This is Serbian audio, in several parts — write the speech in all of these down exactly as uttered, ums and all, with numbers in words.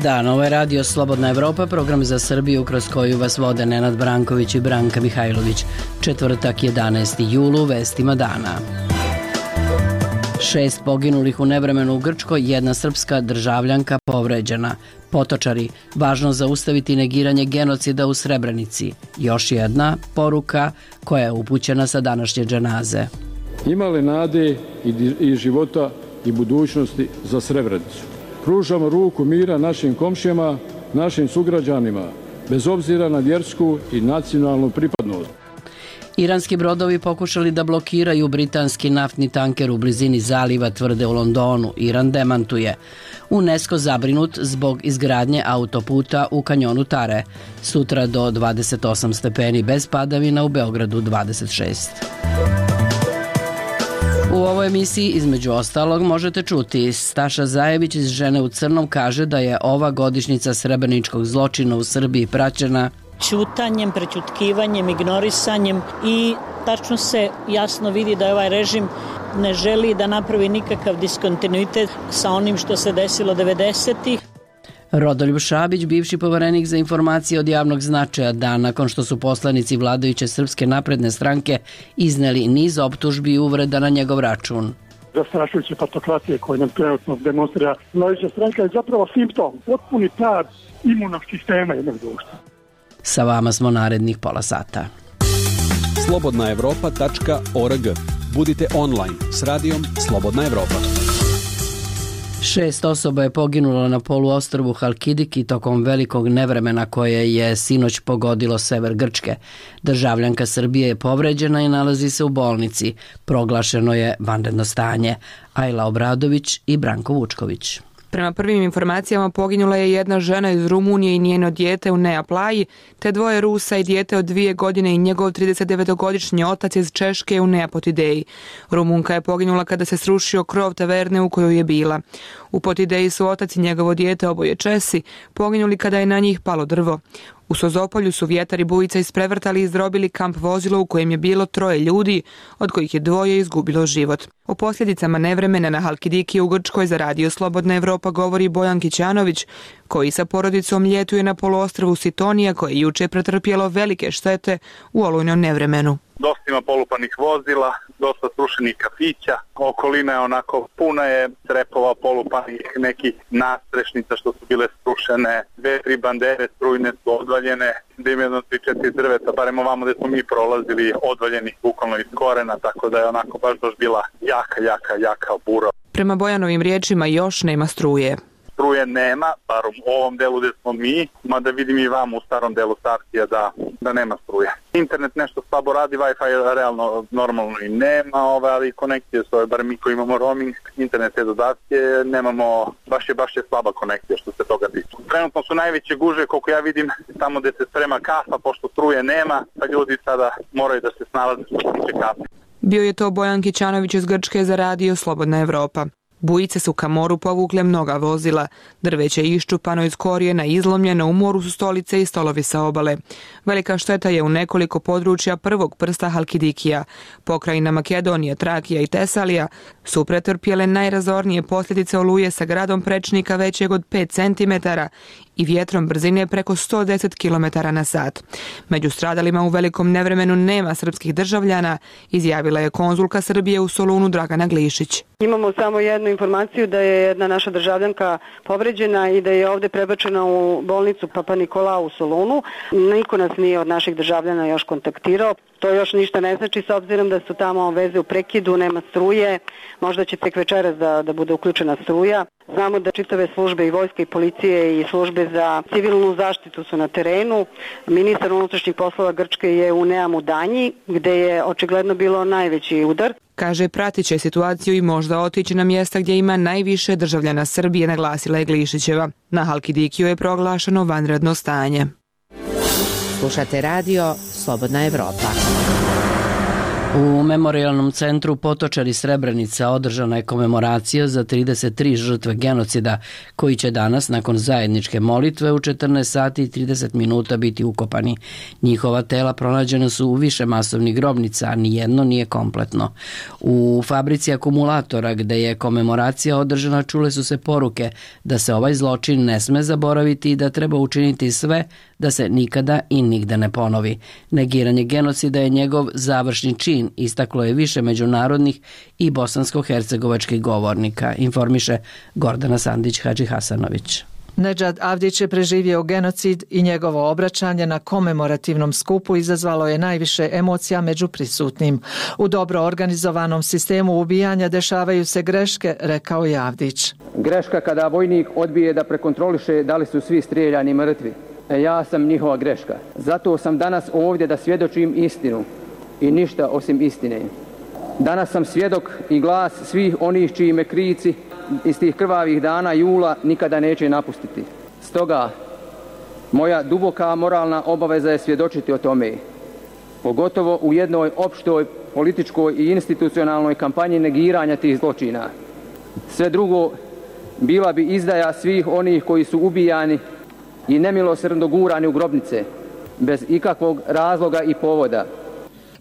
dan, ovo je Radio Slobodna Evropa, program za Srbiju kroz koju vas vode Nenad Branković i Branka Mihajlović. Četvrtak, jedanaesti jul, u vestima dana. Šest poginulih u nevremenu u Grčkoj, jedna srpska državljanka povređena. Potočari, važno zaustaviti negiranje genocida u Srebrenici. Još jedna poruka koja je upućena sa današnje dženaze. Imale nade i života i budućnosti za Srebrenicu. Pružamo ruku mira našim komšijama, našim sugrađanima, bez obzira na vjersku i nacionalnu pripadnost. Iranski brodovi pokušali da blokiraju britanski naftni tanker u blizini zaliva, tvrde u Londonu. Iran demantuje. UNESCO zabrinut zbog izgradnje autoputa u kanjonu Tare. Sutra do dvadeset osam stepeni bez padavina, u Beogradu dvadeset šest. U ovoj emisiji, između ostalog, možete čuti Staša Zajević iz Žene u crnom kaže da je ova godišnjica srebreničkog zločina u Srbiji praćena ćutanjem, prećutkivanjem, ignorisanjem i tačno se jasno vidi da je ovaj režim ne želi da napravi nikakav diskontinuitet sa onim što se desilo devedesetih. Rodoljub Šabić, bivši poverenik za informacije od javnog značaja, dan nakon što su poslanici vladajuće Srpske napredne stranke izneli niz optužbi i uvreda na njegov račun. Zastrašujuće patokratije koje nam trenutno demonstrira vladajuća stranka je zapravo simptom, potpuni pad imunog sistema jednog društva. Sa vama smo narednih pola sata. slobodna evropa tačka org. Budite online s radijom Slobodna Evropa. Šest osoba je poginulo na poluostrvu Halkidiki tokom velikog nevremena koje je sinoć pogodilo sever Grčke. Državljanka Srbije je povređena i nalazi se u bolnici. Proglašeno je vanredno stanje. Ajla Obradović i Branko Vučković. Prema prvim informacijama poginula je jedna žena iz Rumunije i njeno dijete u Neaplaji, te dvoje Rusa i dijete od dvije godine i njegov tridesetdevetogodišnji otac iz Češke u Neapotideji. Rumunka je poginula kada se srušio krov taverne u kojoj je bila. U Potideji su otac i njegovo dijete, oboje Česi, poginuli kada je na njih palo drvo. U Sozopolju su vjetar i bujica isprevrtali i izdrobili kamp vozilo u kojem je bilo troje ljudi, od kojih je dvoje izgubilo život. O posljedicama nevremena na Halkidiki u Grčkoj za Radio Slobodna Evropa govori Bojan Kićanović, koji sa porodicom ljetuje na poluostrvu Sitonija, koje je juče pretrpjelo velike štete u olujnom nevremenu. Dosta ima polupanih vozila, dosta srušenih kafića, okolina je onako puna je trepova polupanih, nekih nastrešnica što su bile srušene, dve, tri bandere strujne su odvaljene, da ima jedno tri, četiri drveta, barem ovamo gde smo mi prolazili, odvaljeni bukvalno iz korena, tako da je onako baš baš bila jaka, jaka, jaka bura. Prema Bojanovim riječima još nema struje. Struje nema, bar u ovom delu gde smo mi, mada vidim i vam u starom delu Sartija da, da nema struje. Internet nešto slabo radi, Wi-Fi realno normalno i nema, ove, ali konekcije su, bar mi koji imamo roaming, internet te dodatke, nemamo, baš je, baš je slaba konekcija što se toga tiče. Trenutno su najveće gužve, koliko ja vidim, tamo gde se sprema kafa, pošto struje nema, pa ljudi sada moraju da se snalaze što se tiče kafe. Bio je to Bojan Kićanović iz Grčke za Radio Slobodna Evropa. Bujice su ka moru povukle mnoga vozila. Drveće je iščupano iz korijena, izlomljeno, u moru su stolice i stolovi sa obale. Velika šteta je u nekoliko područja prvog prsta Halkidikija. Pokrajina Makedonija, Trakija i Tesalija su pretrpjele najrazornije posljedice oluje sa gradom prečnika većeg od pet centimetara i vjetrom brzine preko sto deset kilometara na sat. Među stradalima u velikom nevremenu nema srpskih državljana, izjavila je konzulka Srbije u Solunu Dragana Glišić. Imamo samo jednu informaciju da je jedna naša državljanka povređena i da je ovdje prebačena u bolnicu Papa Nikolau u Solunu. Niko nas nije od naših državljana još kontaktirao. To još ništa ne znači s obzirom da su tamo veze u prekidu, nema struje. Možda će tek večeras da, da bude uključena struja. Znamo da čitave službe i vojske i policije i službe za civilnu zaštitu su na terenu. Ministar unutrašnjih poslova Grčke je u Neamu Danji, gde je očigledno bilo najveći udar. Kaže, pratit će situaciju i možda otići na mjesta gdje ima najviše državljana Srbije, naglasila je Glišićeva. Na Halkidikiju je proglašeno vanredno stanje. Slušate Radio Slobodna Evropa. U Memorijalnom centru Potočari Srebrenica održana je komemoracija za trideset tri žrtve genocida koji će danas nakon zajedničke molitve u četrnaest sati i trideset minuta biti ukopani. Njihova tela pronađena su u više masovnih grobnica, a nijedno nije kompletno. U fabrici akumulatora gde je komemoracija održana čule su se poruke da se ovaj zločin ne sme zaboraviti i da treba učiniti sve da se nikada i nigde ne ponovi. Negiranje genocida je njegov završni čin, istaklo je više međunarodnih i bosansko-hercegovačkih govornika, informiše Gordana Sandić-Hadži Hasanović. Nedžad Avdić je preživio genocid i njegovo obraćanje na komemorativnom skupu izazvalo je najviše emocija među prisutnim. U dobro organizovanom sistemu ubijanja dešavaju se greške, rekao je Avdić. Greška kada vojnik odbije da prekontroliše da li su svi strijeljani mrtvi. E, ja sam njihova greška. Zato sam danas ovdje da svjedočim istinu i ništa osim istine. Danas sam svjedok i glas svih onih čiji me krici iz tih krvavih dana jula nikada neće napustiti. Stoga, moja duboka moralna obaveza je svjedočiti o tome. Pogotovo u jednoj opštoj političkoj i institucionalnoj kampanji negiranja tih zločina. Sve drugo bila bi izdaja svih onih koji su ubijani i nemilosrdno gurani u grobnice, bez ikakvog razloga i povoda.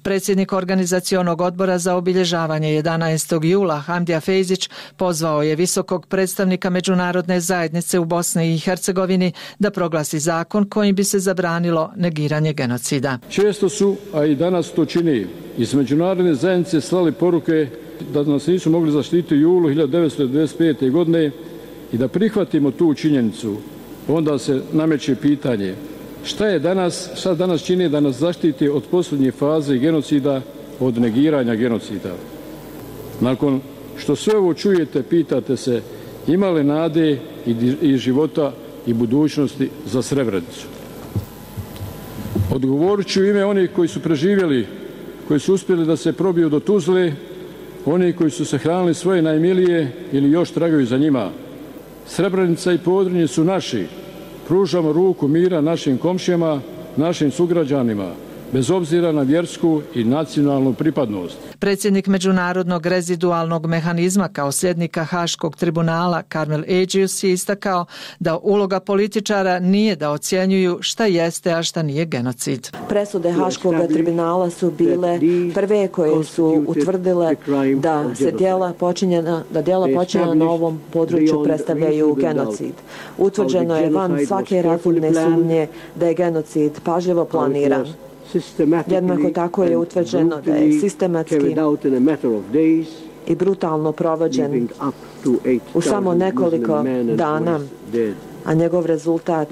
Predsjednik organizacionog odbora za obilježavanje jedanaestog jula Hamdija Fejzić pozvao je visokog predstavnika međunarodne zajednice u Bosni i Hercegovini da proglasi zakon kojim bi se zabranilo negiranje genocida. Često su, a i danas to čini, iz međunarodne zajednice slali poruke da nas nisu mogli zaštiti u julu hiljadu devetsto devedeset pete. godine i da prihvatimo tu činjenicu. Onda se nameće pitanje šta je danas, šta danas čini da nas zaštiti od posljednje faze genocida, od negiranja genocida. Nakon što sve ovo čujete, pitate se ima li nade i, i života i budućnosti za Srebrenicu. Odgovorit ću ime onih koji su preživjeli, koji su uspjeli da se probiju do Tuzle, oni koji su se hranili svoje najmilije ili još tragaju za njima. Srebrenica i Podrinje su naši. Pružamo ruku mira našim komšijama, našim sugrađanima, bez obzira na vjersku i nacionalnu pripadnost. Predsjednik Međunarodnog rezidualnog mehanizma kao sljednika Haškog tribunala Karmel Eđius je istakao da uloga političara nije da ocjenjuju šta jeste, a šta nije genocid. Presude Haškog tribunala su bile prve koje su utvrdile da se djela počinjena, da djela počinjena na ovom području predstavljaju genocid. Utvrđeno je van svake razumne sumnje da je genocid pažljivo planiran. Jednako tako je utvrđeno da je sistematski i brutalno provođen u samo nekoliko dana, a njegov rezultat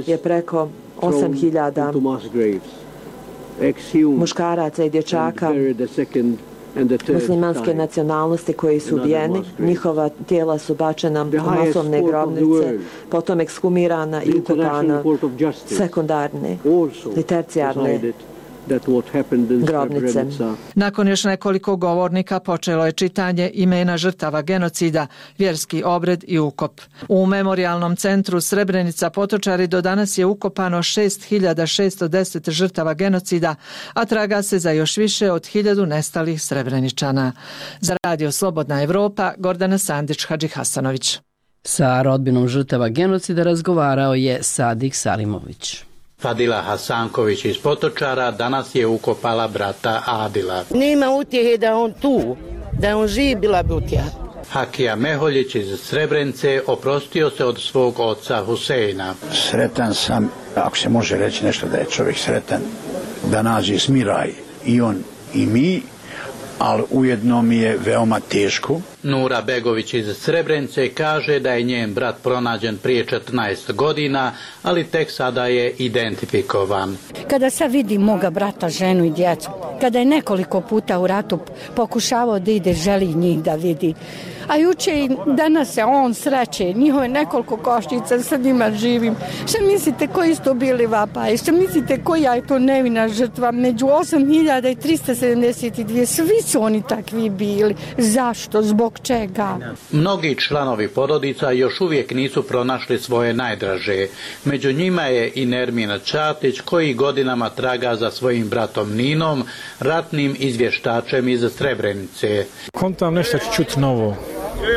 je preko osam hiljada muškaraca i dječaka muslimanske nacionalnosti koji su ubijeni, njihova tijela su bačena u masovne grobnice, potom ekshumirana i ukopana sekundarne i tercijarne grobnice. Nakon još nekoliko govornika počelo je čitanje imena žrtava genocida, vjerski obred i ukop. U Memorijalnom centru Srebrenica Potočari do danas je ukopano šest hiljada šesto deset žrtava genocida, a traga se za još više od hiljadu nestalih Srebreničana. Za Radio Slobodna Evropa, Gordana Sandić-Hadži Hasanović. Sa rodbinom žrtava genocida razgovarao je Sadik Salimović. Fadila Hasanković iz Potočara danas je ukopala brata Adila. Nema utjehe da on tu, da on živ, bila bi utjeha. Hakija Meholjić iz Srebrenice oprostio se od svog oca Huseina. Sretan sam, ako se može reći nešto da je čovjek sretan, da nađe smiraj i on i mi, ali ujedno mi je veoma teško. Nura Begović iz Srebrenice kaže da je njen brat pronađen prije četrnaest godina, ali tek sada je identifikovan. Kada sad vidim moga brata, ženu i djecu, kada je nekoliko puta u ratu pokušavao da ide, želi njih da vidi, A juče i danas se on sreće, njihove nekoliko koštica, sa njima živim. Šta mislite koji su to bili vapaj? Šta mislite koja je to nevina žrtva? Među osam hiljada trista sedamdeset dvije, svi su oni takvi bili. Zašto? Zbog čega? Mnogi članovi porodica još uvijek nisu pronašli svoje najdraže. Među njima je i Nermin Čatić koji godinama traga za svojim bratom Ninom, ratnim izvještačem iz Srebrenice. Kontam nešto ću čuti novo,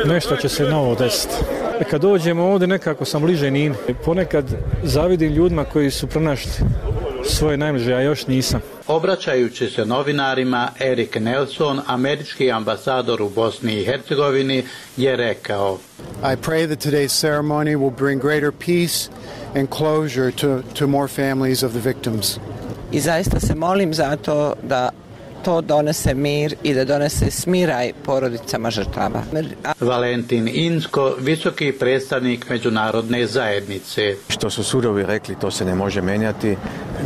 nešto će se novo desiti. Kad dođemo ovdje nekako sam bliže Nini. Ponekad zavidim ljudima koji su pronašli svoje najbliže, a još nisam. Obraćajući se novinarima, Erik Nelson, američki ambasador u Bosni i Hercegovini, je rekao: I pray that today's ceremony will bring greater peace and closure to, to more families of the victims. I zaista se molim za to da to donese mir i da donese smiraj porodicama žrtava. Valentin Insko, visoki predstavnik međunarodne zajednice. Što su sudovi rekli, to se ne može menjati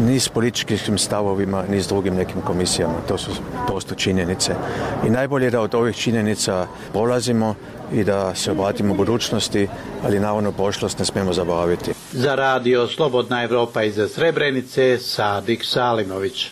ni s političkim stavovima, ni s drugim nekim komisijama. To su prosto činjenice. I najbolje da od ovih činjenica polazimo i da se obratimo budućnosti, ali naravno prošlost ne smijemo zaboraviti. Za radio Slobodna Evropa iz Srebrenice, Sadik Salimović.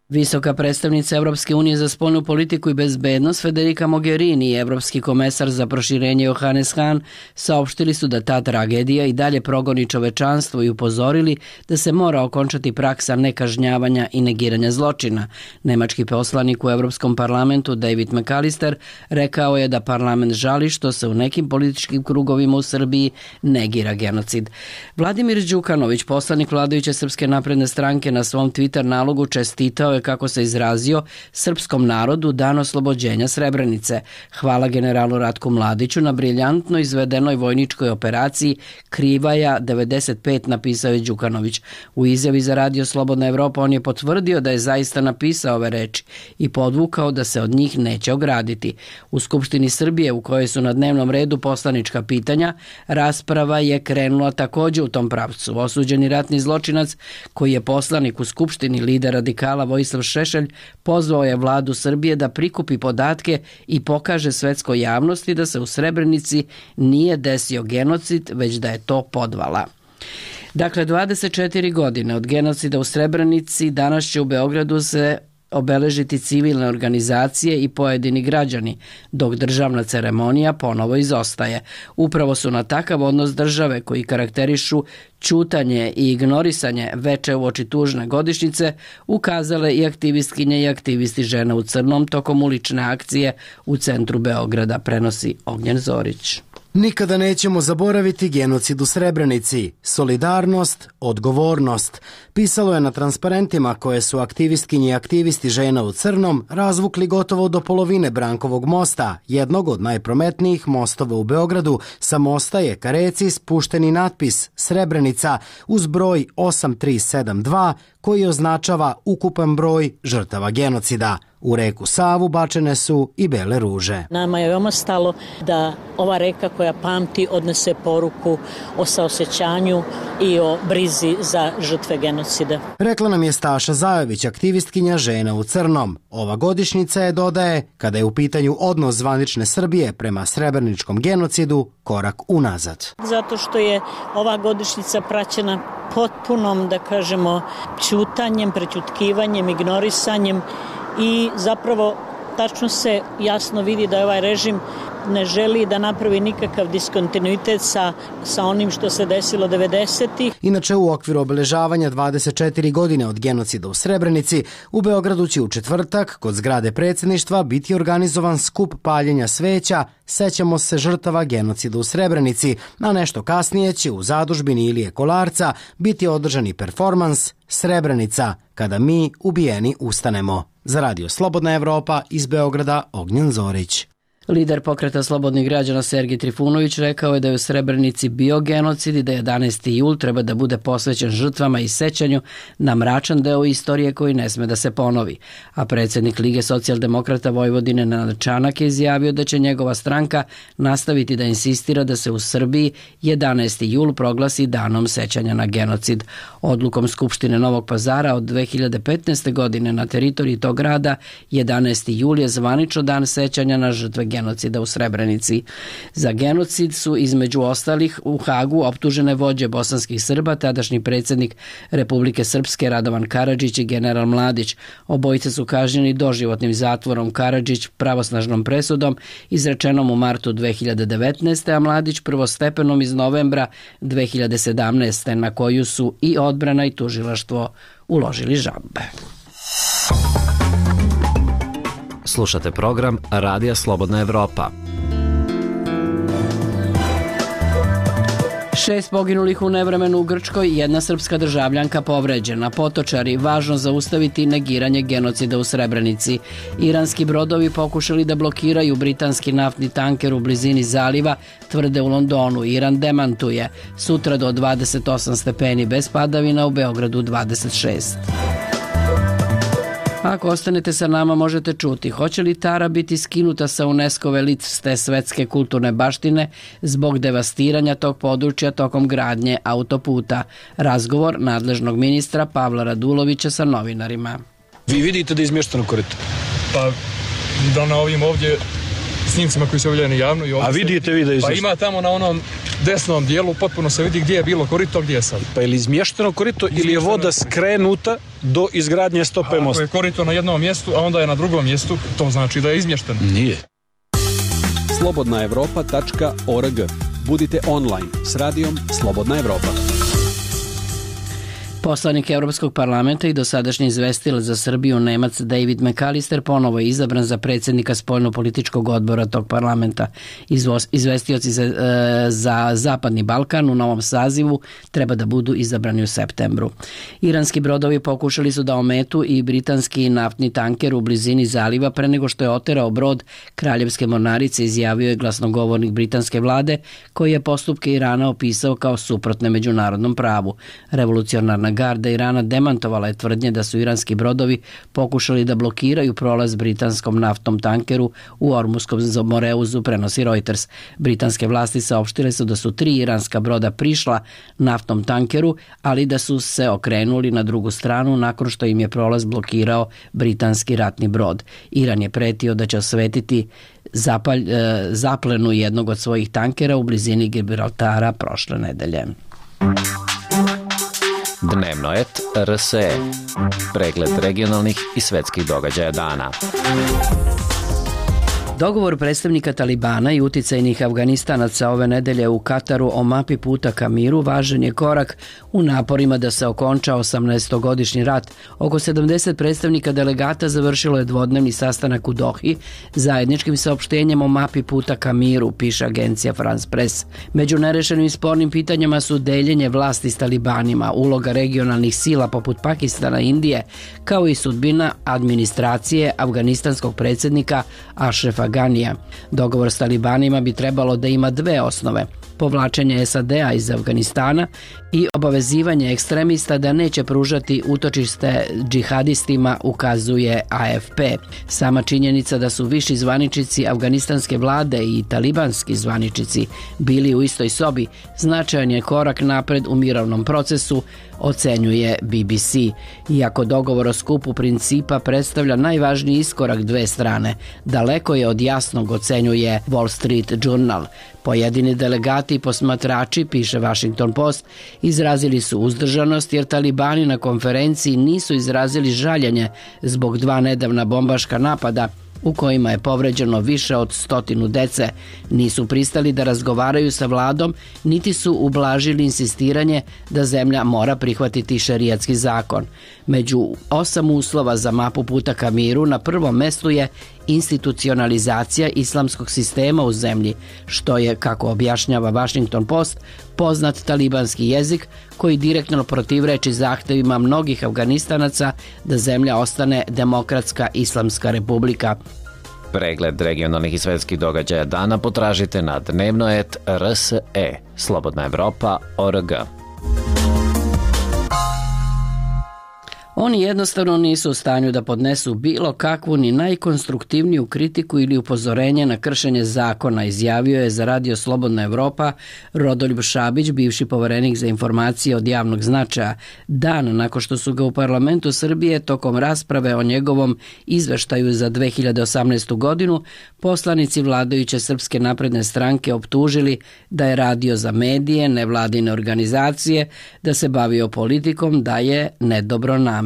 Visoka predstavnica Evropske unije za spoljnu politiku i bezbednost Federica Mogherini i Evropski komesar za proširenje Johannes Hahn saopštili su da ta tragedija i dalje progoni čovečanstvo i upozorili da se mora okončati praksa nekažnjavanja i negiranja zločina. Nemački poslanik u Evropskom parlamentu David McAllister rekao je da parlament žali što se u nekim političkim krugovima u Srbiji negira genocid. Vladimir Đukanović, poslanik vladajuće Srpske napredne stranke, na svom Twitter nalogu čestitao je, kako se izrazio, srpskom narodu dan oslobođenja Srebrenice. Hvala generalu Ratku Mladiću na briljantno izvedenoj vojničkoj operaciji Krivaja devedeset pet, napisao je Đukanović. U izjavi za radio Slobodna Evropa on je potvrdio da je zaista napisao ove reči i podvukao da se od njih neće ograditi. U Skupštini Srbije, u kojoj su na dnevnom redu poslanička pitanja, rasprava je krenula također u tom pravcu. Osuđeni ratni zločinac, koji je poslanik u Skupštini, lider radikala Vojislav Šešelj, pozvao je vladu Srbije da prikupi podatke i pokaže svetskoj javnosti da se u Srebrenici nije desio genocid, već da je to podvala. Dakle, dvadeset četiri godine od genocida u Srebrenici danas će u Beogradu se obeležiti civilne organizacije i pojedini građani, dok državna ceremonija ponovo izostaje. Upravo su na takav odnos države koji karakterišu ćutanje i ignorisanje veče uoči tužne godišnjice ukazale i aktivistkinje i aktivisti Žena u crnom tokom ulične akcije u centru Beograda, prenosi Ognjen Zorić. Nikada nećemo zaboraviti genocid u Srebrenici. Solidarnost, odgovornost. Pisalo je na transparentima koje su aktivistkinji i aktivisti Žena u crnom razvukli gotovo do polovine Brankovog mosta, jednog od najprometnijih mostova u Beogradu. Sa mosta je ka reci spušteni natpis Srebrenica uz broj osam tri sedam dva koji označava ukupan broj žrtava genocida. U reku Savu bačene su i bele ruže. Nama je veoma stalo da ova reka koja pamti odnese poruku o saosećanju i o brizi za žrtve genocida. Rekla nam je Staša Zajović, aktivistkinja Žena u crnom. Ova godišnjica je, dodaje, kada je u pitanju odnos zvanične Srbije prema srebreničkom genocidu, korak unazad. Zato što je ova godišnjica praćena potpunom, da kažemo, ćutanjem, prećutkivanjem, ignorisanjem i zapravo tačno se jasno vidi da ovaj režim ne želi da napravi nikakav diskontinuitet sa, sa onim što se desilo devedesetih. Inače, u okviru obeležavanja dvadeset četiri godine od genocida u Srebrenici, u Beogradu će u četvrtak kod zgrade predsjedništva biti organizovan skup paljenja sveća Sećamo se žrtava genocida u Srebrenici, a nešto kasnije će u zadužbini Ilije Kolarca biti održani performans Srebrenica, kada mi ubijeni ustanemo. Za radio Slobodna Evropa iz Beograda, Ognjen Zorić. Lider pokreta Slobodnih građana Sergij Trifunović rekao je da je u Srebrenici bio genocid i da jedanaesti jul treba da bude posvećen žrtvama i sećanju na mračan deo istorije koji ne sme da se ponovi. A predsjednik Lige socijaldemokrata Vojvodine Nenad Čanak je izjavio da će njegova stranka nastaviti da insistira da se u Srbiji jedanaesti jul proglasi danom sećanja na genocid. Odlukom Skupštine Novog Pazara od dve hiljade petnaeste. godine na teritoriji tog grada jedanaesti jul je zvanično dan sećanja na žrtve genocida genocida u Srebrenici. Za genocid su između ostalih u Hagu optužene vođe bosanskih Srba, tadašnji predsjednik Republike Srpske Radovan Karadžić i general Mladić. Obojice su kažnjeni doživotnim zatvorom, Karadžić pravosnažnom presudom izrečenom u martu dve hiljade devetnaeste. a Mladić prvostepenom iz novembra dve hiljade sedamnaeste. na koju su i odbrana i tužilaštvo uložili žalbe. Slušate program Radija Slobodna Evropa. Šest poginulih u nevremenu u Grčkoj i jedna srpska državljanka povređena. Potočari, važno zaustaviti negiranje genocida u Srebrenici. Iranski brodovi pokušali da blokiraju britanski naftni tanker u blizini zaliva, tvrde u Londonu. Iran demantuje. Sutra do dvadeset osam stepeni bez padavina, u Beogradu dvadeset šest. Ako ostanete sa nama možete čuti hoće li Tara biti skinuta sa UNESCO-ve liste svetske kulturne baštine zbog devastiranja tog područja tokom gradnje autoputa. Razgovor nadležnog ministra Pavla Radulovića sa novinarima. Vi vidite da je izmješteno korito? Pa da na ovim ovdje snimcima koji se objavljeni javno. I A vidite vi da je izmješteno? Pa ima tamo na onom desnom dijelu potpuno se vidi gdje je bilo korito, gdje je sad. Pa je li izmješteno korito ili je voda skrenuta do izgradnje stope mosta? Ako je korito na jednom mjestu, a onda je na drugom mjestu, to znači da je izmješteno. Nije. slobodna evropa tačka org. Budite online s radijom Slobodna Evropa. Poslanik Evropskog parlamenta i dosadašnji izvestilac za Srbiju Nemac David McAllister ponovo je izabran za predsjednika spoljnopolitičkog odbora tog parlamenta. Izvestioci za, e, za Zapadni Balkan u novom sazivu treba da budu izabrani u septembru. Iranski brodovi pokušali su da ometu i britanski naftni tanker u blizini zaliva pre nego što je oterao brod Kraljevske mornarice, izjavio je glasnogovornik britanske vlade koji je postupke Irana opisao kao suprotne međunarodnom pravu. Revolucionarna garda Irana demantovala je tvrdnje da su iranski brodovi pokušali da blokiraju prolaz britanskom naftnom tankeru u Ormuskom moreuzu, prenosi Reuters. Britanske vlasti saopštile su da su tri iranska broda prišla naftnom tankeru, ali da su se okrenuli na drugu stranu nakon što im je prolaz blokirao britanski ratni brod. Iran je pretio da će osvetiti zapalj, e, zaplenu jednog od svojih tankera u blizini Gibraltara prošle nedelje. Dnevno et R S E. Pregled regionalnih i svetskih događaja dana. Dogovor predstavnika Talibana i uticajnih Afganistanaca ove nedelje u Kataru o mapi puta ka miru važan je korak u naporima da se okonča osamnaestogodišnji rat. Oko sedamdeset predstavnika delegata završilo je dvodnevni sastanak u Dohi zajedničkim saopštenjem o mapi puta ka miru, piše agencija France Press. Među nerešenim spornim pitanjima su deljenje vlasti s Talibanima, uloga regionalnih sila poput Pakistana i Indije, kao i sudbina administracije afganistanskog predsjednika Ašrefa Ganija. Dogovor s Talibanima bi trebalo da ima dve osnove: povlačenje S A D-a iz Afganistana i obavezivanje ekstremista da neće pružati utočište džihadistima, ukazuje A F P. Sama činjenica da su viši zvaničnici afganistanske vlade i talibanski zvaničnici bili u istoj sobi značajan je korak napred u mirovnom procesu, ocenjuje B B C. Iako dogovor o skupu principa predstavlja najvažniji iskorak dve strane, daleko je od jasnog, ocenjuje Wall Street Journal. Pojedini delegati i posmatrači, piše Washington Post, izrazili su uzdržanost jer Talibani na konferenciji nisu izrazili žaljenje zbog dva nedavna bombaška napada u kojima je povređeno više od stotinu dece. Nisu pristali da razgovaraju sa vladom, niti su ublažili insistiranje da zemlja mora prihvatiti šerijatski zakon. Među osam uslova za mapu puta ka miru na prvom mestu je institucionalizacija islamskog sistema u zemlji, što je, kako objašnjava Washington Post, poznat talibanski jezik koji direktno protivreči zahtevima mnogih Afganistanaca da zemlja ostane demokratska islamska republika. Pregled regionalnih i svetskih događaja dana potražite na dnevno et R S E. Slobodna Evropa, org. Oni jednostavno nisu u stanju da podnesu bilo kakvu ni najkonstruktivniju kritiku ili upozorenje na kršenje zakona, izjavio je za Radio Slobodna Evropa Rodoljub Šabić, bivši poverenik za informacije od javnog značaja, dan nakon što su ga u parlamentu Srbije tokom rasprave o njegovom izveštaju za dve hiljade osamnaestu godinu poslanici vladajuće Srpske napredne stranke optužili da je radio za medije, nevladine organizacije, da se bavio politikom, da je nedobronameran.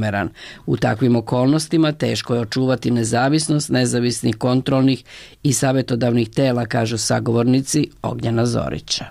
U takvim okolnostima teško je očuvati nezavisnost nezavisnih kontrolnih i savjetodavnih tela, kažu sagovornici Ognjena Zorića.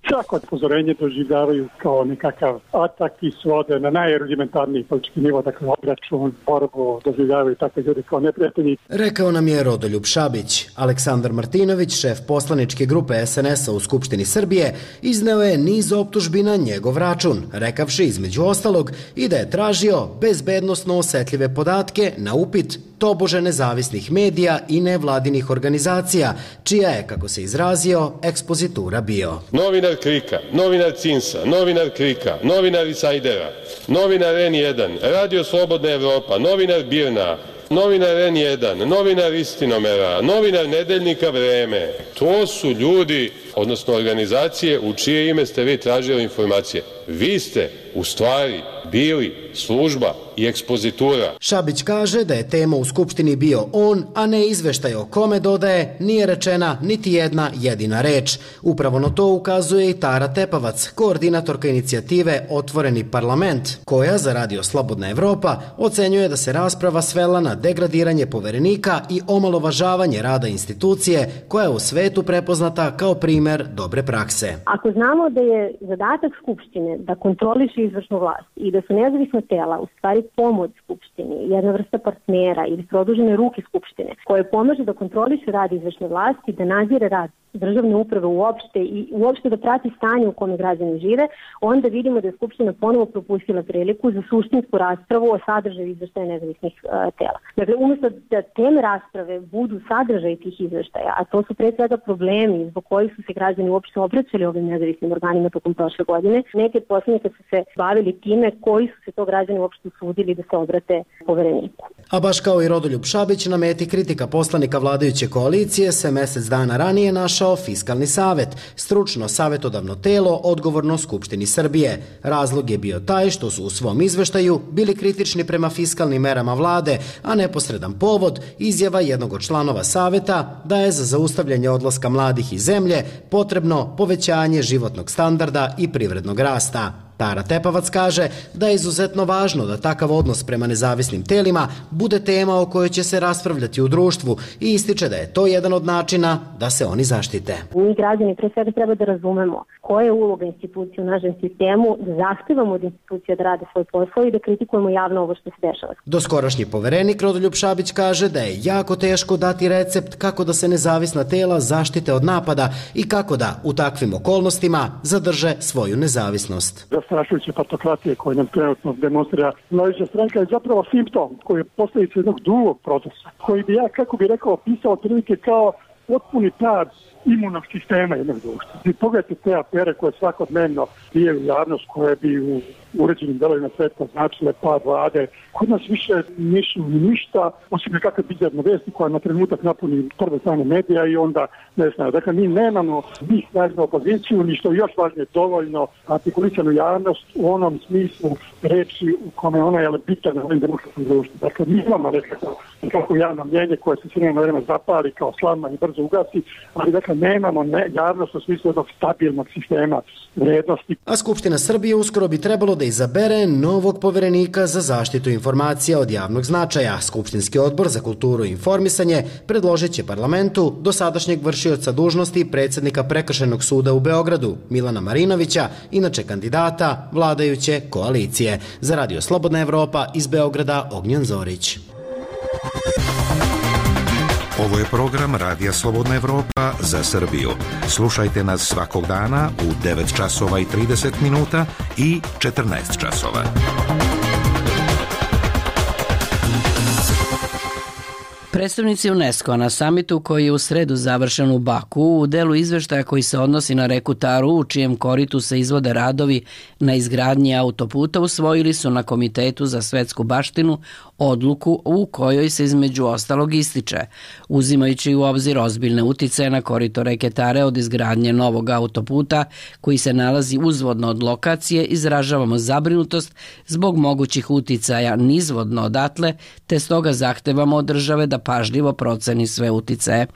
Svako upozorenje doživljavaju kao nekakav atak i svode na najrudimentarniji politički nivo, dakle obračun, borbu, doživljavaju takve ljudi kao neprijatelji. Rekao nam je Rodoljub Šabić. Aleksandar Martinović, šef poslaničke grupe es en es a u Skupštini Srbije, izneo je niz optužbi na njegov račun, rekavši između ostalog i da je tražio bezbednosno osetljive podatke na upit tobože nezavisnih medija i nevladinih organizacija, čija je, kako se izrazio, ekspozitura bio. Novinar Krika, novinar Cinsa, novinar Krika, novinar Insajdera, novinar en jedan, Radio Slobodna Evropa, novinar Birna, novinar en jedan, novinar Istinomera, novinar Nedeljnika Vreme. To su ljudi, odnosno organizacije u čije ime ste vi tražili informacije. Vi ste u stvari bili služba i ekspozitura. Šabić kaže da je tema u Skupštini bio on, a ne izveštaj o kome, dodaje, nije rečena niti jedna jedina reč. Upravo na to ukazuje i Tara Tepavac, koordinatorka inicijative Otvoreni parlament, koja za Radio Slobodna Evropa ocenjuje da se rasprava svela na degradiranje poverenika i omalovažavanje rada institucije koja je u svetu prepoznata kao primer dobre prakse. Ako znamo da je zadatak Skupštine da kontroliše izvršnu vlast i da su nezavisna tela u stvari pomoć Skupštini, jedna vrsta partnera ili produžene ruke Skupštine koje pomaže da kontroliše rad izvršne vlasti, da nadzire rad državne uprave uopšte i uopšte da prati stanje u kome građani žive, onda vidimo da je Skupština ponovo propustila priliku za suštinsku raspravu o sadržaju izveštaja nezavisnih uh, tela. Dakle, umjesto da teme rasprave budu sadržaj tih izveštaja, a to su pre svega problemi zbog kojih su se građani uopšte obraćali ovim nezavisnim organima tokom prošle godine, neke od poslanika su se bavili time koji su se to građani uopšte usudili da se obrate povereniku. A baš kao i Rodoljub Šabić, na meti kritika poslanika vladajuće koalicije se mesec dana ranije našao Fiskalni savet, stručno savjetodavno telo odgovorno Skupštini Srbije. Razlog je bio taj što su u svom izveštaju bili kritični prema fiskalnim merama vlade, a neposredan povod izjava jednog od članova saveta da je za zaustavljanje odlaska mladih iz zemlje potrebno povećanje životnog standarda i privrednog rasta. Tara Tepavac kaže da je izuzetno važno da takav odnos prema nezavisnim telima bude tema o kojoj će se raspravljati u društvu i ističe da je to jedan od načina da se oni zaštite. Mi građani pre svega treba da razumemo koja je uloga institucije u našem sistemu, da zahtevamo od institucija da rade svoj posao i da kritikujemo javno ovo što se dešava. Doskorašnji poverenik Rodoljub Šabić kaže da je jako teško dati recept kako da se nezavisna tela zaštite od napada i kako da u takvim okolnostima zadrže svoju nezavisnost. Zastrašujuće partokratije koje nam trenutno demonstrira vladajuća stranka je zapravo simptom koji je posljedica jednog drugog procesa, koji bi ja, kako bi rekao, opisao otprilike kao potpuni pad imunog sistema jednog društva. I pogledajte te afere koje svakodnevno prije u javnost, koje bi u uređenim delovima sveta značile pad vlade. Kod nas više nisu ništa, osim nekakve bizarne vesti koja na trenutak napuni prve strane medija i onda ne znam. Dakle, mi nemamo ni snažnu opoziciju, ni što je još važnije dovoljno artikulisanu javnost u onom smislu reči u kome ona je bitan na ovim demokratskim društvu. Dakle, mi imamo nekako, nekako javno mnjenje koje se sve na vreme zapali kao slavna i brzo ugasi, ali dakle nemamo ne, javnost u smislu jednog stabilnog sistema vrednosti. A Skupština Srbije uskoro bi trebalo da izabere novog poverenika za zaštitu informacija od javnog značaja. Skupštinski odbor za kulturu i informisanje predložit će parlamentu dosadašnjeg vršioca dužnosti predsjednika Prekršajnog suda u Beogradu, Milana Marinovića, inače kandidata vladajuće koalicije. Za Radio Slobodna Evropa iz Beograda, Ognjen Zorić. Ovo je program Radija Slobodna Evropa za Srbiju. Slušajte nas svakog dana u devet časova i trideset minuta i četrnaest časova. Predstavnici UNESCO na samitu koji je u sredu završen u Baku u delu izveštaja koji se odnosi na reku Taru u čijem koritu se izvode radovi na izgradnji autoputa usvojili su na Komitetu za svetsku baštinu odluku u kojoj se između ostalog ističe, uzimajući u obzir ozbiljne uticaje na korito reke Tare od izgradnje novog autoputa koji se nalazi uzvodno od lokacije, izražavamo zabrinutost zbog mogućih uticaja nizvodno odatle, te stoga zahtevamo od države da pažljivo proceni sve uticaje.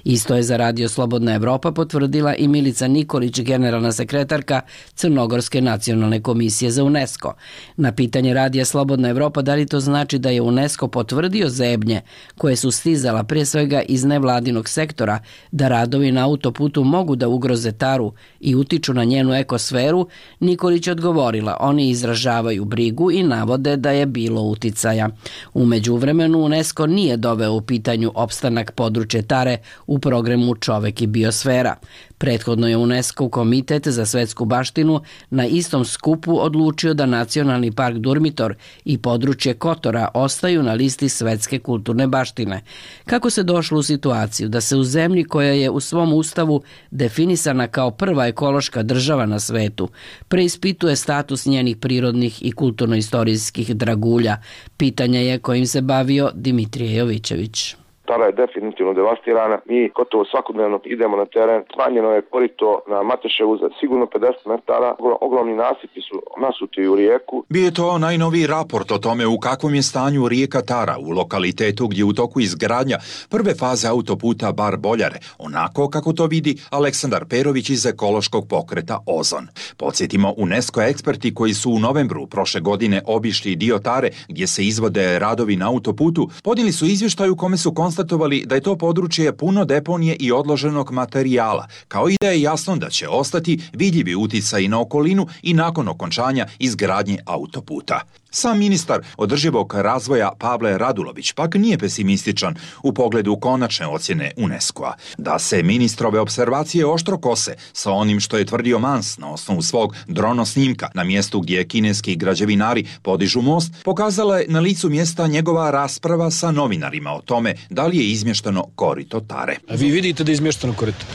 Isto je za Radio Slobodna Evropa potvrdila i Milica Nikolić, generalna sekretarka Crnogorske nacionalne komisije za UNESCO. Na pitanje Radija Slobodna Evropa da li to znači da je UNESCO potvrdio zebnje koje su stizala prije svega iz nevladinog sektora da radovi na autoputu mogu da ugroze Taru i utiču na njenu ekosferu, Nikolić je odgovorila, oni izražavaju brigu i navode da je bilo uticaja. U međuvremenu UNESCO nije doveo u pitanju opstanak područja Tare u programu Čovek i biosfera. Prethodno je UNESCO Komitet za svetsku baštinu na istom skupu odlučio da Nacionalni park Durmitor i područje Kotora ostaju na listi svetske kulturne baštine. Kako se došlo u situaciju da se u zemlji koja je u svom ustavu definisana kao prva ekološka država na svetu preispituje status njenih prirodnih i kulturno-istorijskih dragulja? Pitanje je kojim se bavio Dimitrije Jovićević. Tara je definitivno devastirana. Mi gotovo svakodnevno idemo na teren. Smanjeno je korito na Mateševu za sigurno pedeset metara. Ogromni nasipi su nasuti u rijeku. Bio je to najnoviji raport o tome u kakvom je stanju rijeka Tara u lokalitetu gdje u toku izgradnja prve faze autoputa Bar Boljare, onako kako to vidi Aleksandar Perović iz ekološkog pokreta Ozon. Podsjetimo, UNESCO eksperti koji su u novembru prošle godine obišli dio Tare gdje se izvode radovi na autoputu, podnijeli su izvještaj u kome su konstatovali da je to područje puno deponije i odloženog materijala, kao i da je jasno da će ostati vidljivi uticaji na okolinu i nakon okončanja izgradnje autoputa. Sam ministar održivog razvoja Pavle Radulović pak nije pesimističan u pogledu konačne ocjene UNESCO-a. Da se ministrove observacije oštro kose sa onim što je tvrdio Mans na osnovu svog dronosnimka na mjestu gdje kineski građevinari podižu most, pokazala je na licu mjesta njegova rasprava sa novinarima o tome da li je izmješteno korito Tare. A vi vidite da je izmješteno korito?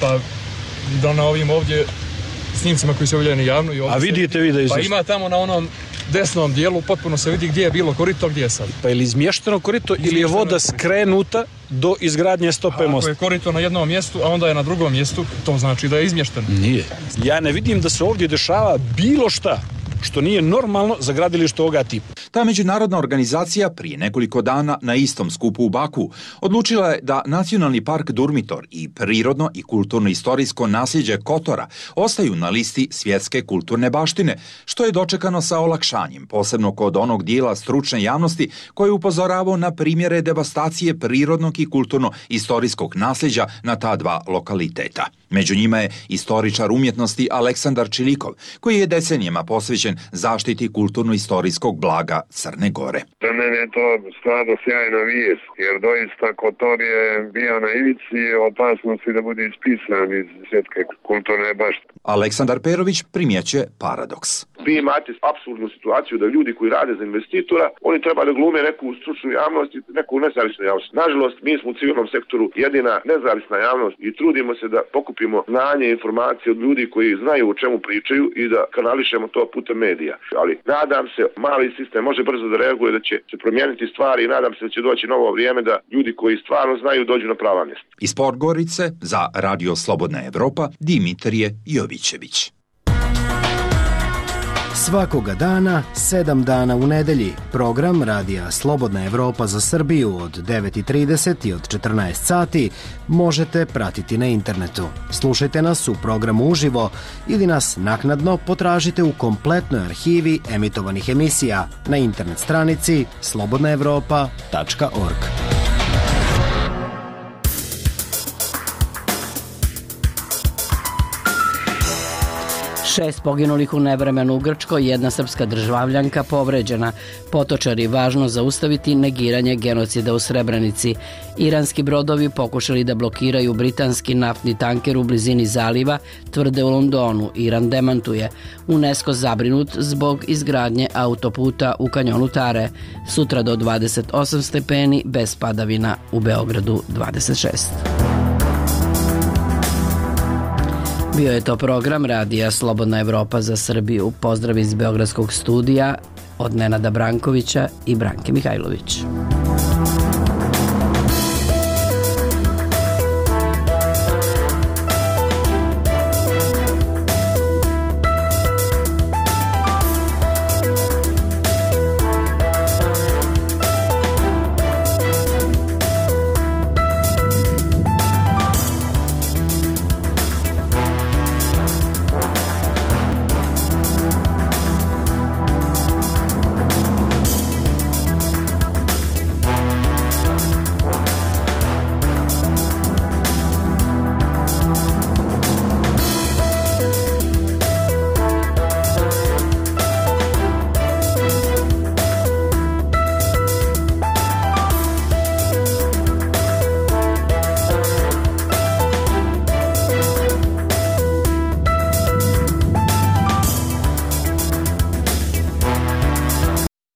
Pa da na ovim ovdje snimcima koji se objavljeni javno i ovdje. A vidite vi da je izmješteno? Pa ima tamo na onom desnom dijelu potpuno se vidi gdje je bilo korito, gdje je sad. Pa je li izmješteno korito ili je voda skrenuta do izgradnje stope mosta? Ako je korito na jednom mjestu, a onda je na drugom mjestu, to znači da je izmješteno. Nije. Ja ne vidim da se ovdje dešava bilo šta što nije normalno za gradilište ovoga tipa. Ta međunarodna organizacija prije nekoliko dana na istom skupu u Baku odlučila je da Nacionalni park Durmitor i prirodno i kulturno-istorijsko nasljeđe Kotora ostaju na listi svjetske kulturne baštine, što je dočekano sa olakšanjem, posebno kod onog dijela stručne javnosti koji je upozoravao na primjere devastacije prirodnog i kulturno-istorijskog nasljeđa na ta dva lokaliteta. Među njima je istoričar umjetnosti Aleksandar Čilikov, koji je decenijama posvećen zaštiti kulturno-istorijskog blaga Crne Gore. Za mene je to stvarno sjajna vijest, jer doista Kotor je bio na ivici opasnosti da bude ispisan iz svjetske kulturne baštine. Aleksandar Perović primjećuje paradoks. Vi imate apsurdnu situaciju da ljudi koji rade za investitora, oni treba da glume neku stručnu javnost i neku nezavisnu javnost. Nažalost, mi smo u civilnom sektoru jedina nezavisna javnost i trudimo se da pokupimo znanje i informacije od ljudi koji znaju o čemu pričaju i da kanališemo to putem medija. Ali nadam se, mali sistem može brzo da reaguje, da će se promijeniti stvari i nadam se da će doći novo vrijeme da ljudi koji stvarno znaju dođu na prava mjesta. Iz Podgorice za Radio Slobodna Evropa, Dimitrije Jovićević. Svakoga dana, sedam dana u nedelji, program Radija Slobodna Evropa za Srbiju od devet i trideset i od četrnaest sati možete pratiti na internetu. Slušajte nas u programu uživo ili nas naknadno potražite u kompletnoj arhivi emitovanih emisija na internet stranici slobodna evropa tačka org. Šest poginulih u nevremenu u Grčkoj, jedna srpska državljanka povređena. Potočari, važno zaustaviti negiranje genocida u Srebrenici. Iranski brodovi pokušali da blokiraju britanski naftni tanker u blizini zaliva, tvrde u Londonu. Iran demantuje. UNESCO zabrinut zbog izgradnje autoputa u kanjonu Tare. Sutra do dvadeset osam stepeni, bez padavina, u Beogradu dvadeset šest. Bio je to program Radija Slobodna Evropa za Srbiju. Pozdrav iz Beogradskog studija od Nenada Brankovića i Branke Mihajlović.